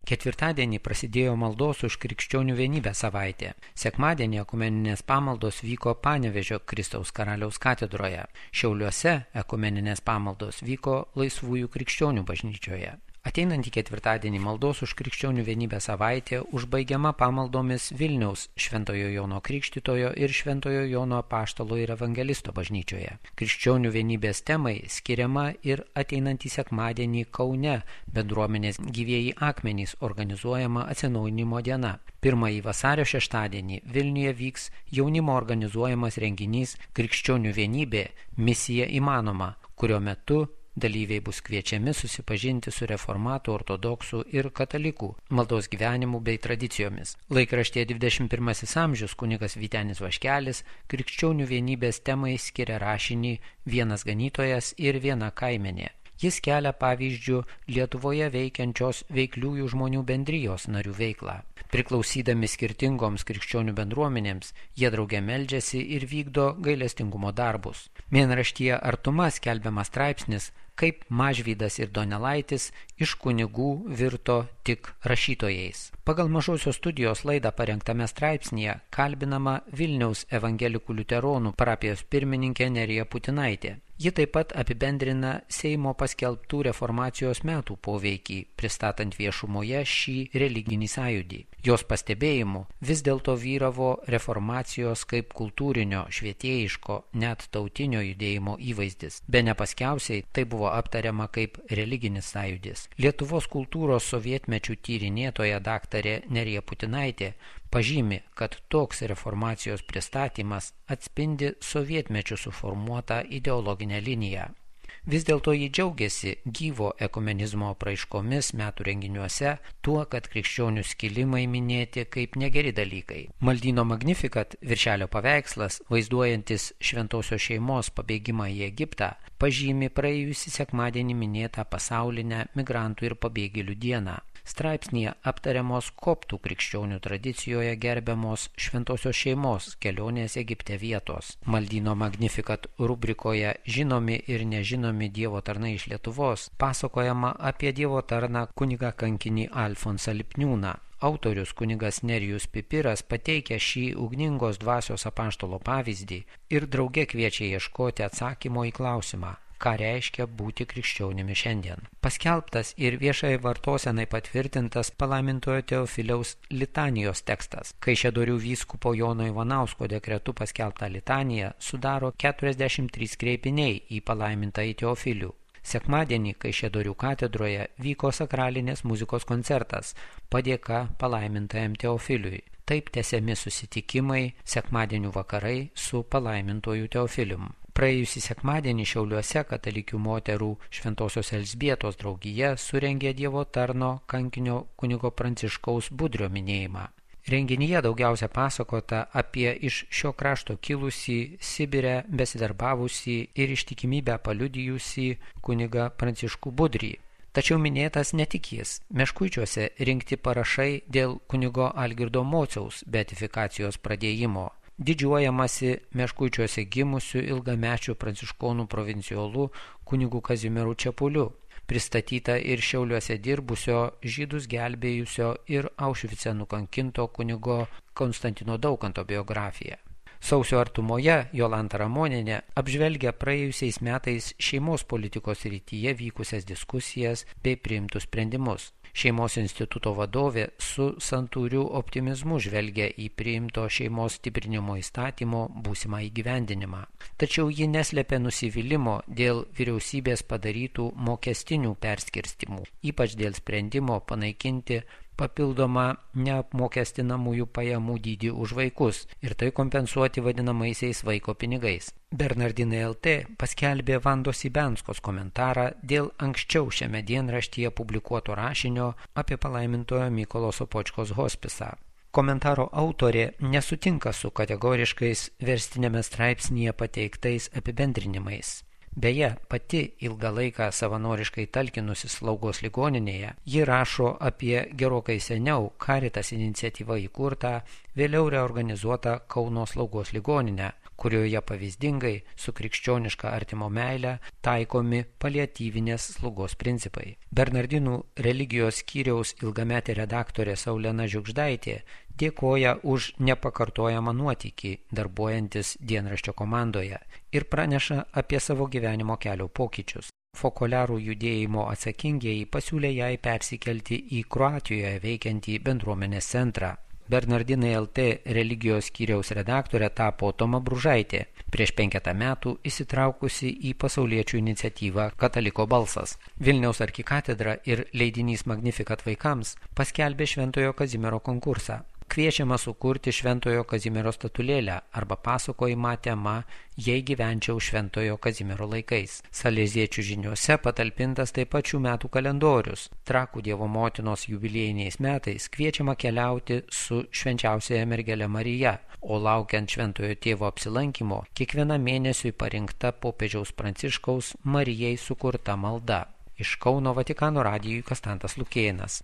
Ketvirtadienį prasidėjo maldos už krikščionių vienybę savaitė. Sekmadienį ekumeninės pamaldos vyko Panevėžio Kristaus Karaliaus katedroje. Šiauliuose ekumeninės pamaldos vyko Laisvųjų krikščionių bažnyčioje. Ateinantį ketvirtadienį maldos už krikščionių vienybę savaitė užbaigiama pamaldomis Vilniaus Šventojo Jono Krikštytojo ir Šventojo Jono Apaštalo ir Evangelisto bažnyčioje. Krikščionių vienybės temai skiriama ir ateinantį sekmadienį Kaune bendruomenės Gyvieji akmenys organizuojama atsinaujinimo diena. 1 vasario šeštadienį Vilniuje vyks jaunimo organizuojamas renginys Krikščionių vienybė – misija įmanoma, kurio metu dalyviai bus kviečiami susipažinti su reformatų, ortodoksų ir katalikų maldos gyvenimu bei tradicijomis. Laikraštyje 21 amžius kunigas Vytenis Vaškelis krikščionių vienybės temai skiria rašinį Vienas ganytojas ir viena kaimenė. Jis kelia pavyzdžių Lietuvoje veikiančios veikliųjų žmonių bendrijos narių veiklą. Priklausydami skirtingoms krikščionių bendruomenėms, jie drauge meldžiasi ir vykdo gailestingumo darbus. Mėnraštyje Artuma skelbiamas straipsnis, kaip Mažvydas ir Donelaitis iš kunigų virto tik rašytojais. Pagal Mažosios studijos laidą parengtame straipsnėje kalbinama Vilniaus evangelikų liuteronų parapijos pirmininkė Nerija Putinaitė. Ji taip pat apibendrina Seimo paskelbtų reformacijos metų poveikį, pristatant viešumoje šį religinį sąjūdį. Jos pastebėjimu vis dėlto vyravo reformacijos kaip kultūrinio, švietėjiško, net tautinio judėjimo įvaizdis. Bene paskiausiai tai buvo aptariama kaip religinis sąjūdis. Lietuvos kultūros sovietmečių tyrinėtoja daktarė Nerija Putinaitė pažymi, kad toks reformacijos pristatymas atspindi sovietmečių suformuotą ideologinę liniją. Vis dėlto ji džiaugiasi gyvo ekumenizmo apraiškomis metų renginiuose, tuo, kad krikščionių skilimai minėti kaip negeri dalykai. Maldyno Magnificat viršelio paveikslas, vaizduojantis šventosios šeimos pabėgimą į Egiptą, pažymi praėjusį sekmadienį minėtą pasaulinę migrantų ir pabėgėlių dieną. Straipsnyje aptariamos koptų krikščionių tradicijoje gerbiamos šventosios šeimos kelionės Egipte vietos. Maldyno Magnificat rubrikoje Žinomi ir nežinomi Dievo tarnai iš Lietuvos pasakojama apie Dievo tarną kunigą kankinį Alfonsą Lipniūną. Autorius kunigas Nerijus Pipiras pateikia šį ugningos dvasios apaštalo pavyzdį ir drauge kviečia ieškoti atsakymo į klausimą, ką reiškia būti krikščionimi šiandien. Paskelbtas ir viešai vartosenai patvirtintas palaimintojo Teofiliaus litanijos tekstas. Kaišiadorių vyskupo Jono Ivanausko dekretu paskelbtą litaniją sudaro 43 kreipiniai į palaimintąjį Teofilių. Sekmadienį Kaišiadorių katedroje vyko sakralinės muzikos koncertas padėka palaimintajam Teofiliui. Taip tęsiami susitikimai sekmadienių vakarai su palaimintoju Teofilium. Praėjusį sekmadienį Šiauliuose katalikių moterų Šventosios Elzbietos draugija surengė Dievo tarno kankinio kunigo Pranciškaus Budrio minėjimą. Renginyje daugiausia pasakota apie iš šio krašto kilusį, Sibire besidarbavusį ir ištikimybę paliudijusį kunigą Pranciškų Budrį. Tačiau minėtas ne tik jis. Meškuičiuose rinkti parašai dėl kunigo Algirdo Mociaus beatifikacijos pradėjimo. Didžiuojamasi Meškuičiuose gimusiu ilgamečiu pranciškonų provinciolu kunigu Kazimieru Čepuliu, pristatyta ir Šiauliuose dirbusio, žydus gelbėjusio ir Aušvice nukankinto kunigo Konstantino Daukanto biografija. Sausio artumoje Jolanta Ramonienė apžvelgia praėjusiais metais šeimos politikos srityje vykusias diskusijas bei priimtus sprendimus. Šeimos instituto vadovė su santūriu optimizmu žvelgia į priimto šeimos stiprinimo įstatymo būsimą įgyvendinimą. Tačiau ji neslėpia nusivylimo dėl vyriausybės padarytų mokestinių perskirstimų, ypač dėl sprendimo panaikinti papildomą neapmokestinamųjų pajamų dydį už vaikus ir tai kompensuoti vadinamaisiais vaiko pinigais. Bernardinai LT paskelbė Vandos Ibenskos komentarą dėl anksčiau šiame dienraštyje publikuoto rašinio apie palaimintojo Mykolo Sopočkos hospisą. Komentaro autorė nesutinka su kategoriškais verstinėme straipsnyje pateiktais apibendrinimais. Beje, pati ilgą laiką savanoriškai talkinusi slaugos ligoninėje, ji rašo apie gerokai seniau Caritas iniciatyva įkurtą, vėliau reorganizuotą Kauno slaugos ligoninę, kurioje pavyzdingai su krikščioniška artimo meile taikomi paliatyvinės slaugos principai. Bernardinų religijos skyriaus ilgametė redaktorė Saulena Žiugždaitė dėkoja už nepakartojamą nuotykį darbuojantis dienraščio komandoje ir praneša apie savo gyvenimo kelio pokyčius. Fokolerų judėjimo atsakingieji pasiūlė jai persikelti į Kroatijoje veikiantį bendruomenės centrą. Bernardinai LT religijos skyriaus redaktorė tapo Toma Bružaitė, prieš 5 metų įsitraukusi į pasauliečių iniciatyvą Kataliko balsas. Vilniaus arkikatedra ir leidinys Magnificat vaikams paskelbė Šventojo Kazimiero konkursą. Kviečiama sukurti Šventojo Kazimiero statulėlę arba pasakojimą tema Jei gyvenčiau Šventojo Kazimiero laikais. Saleziečių žiniuose patalpintas taip pat šių metų kalendorius. Trakų Dievo motinos jubiliejiniais metais kviečiama keliauti su švenčiausiaja mergele Marija, o laukiant Šventojo tėvo apsilankimo, kiekvieną mėnesiui parinkta popiežiaus Pranciškaus Marijai sukurta malda. Iš Kauno Vatikano radijui Kastantas Lukėnas.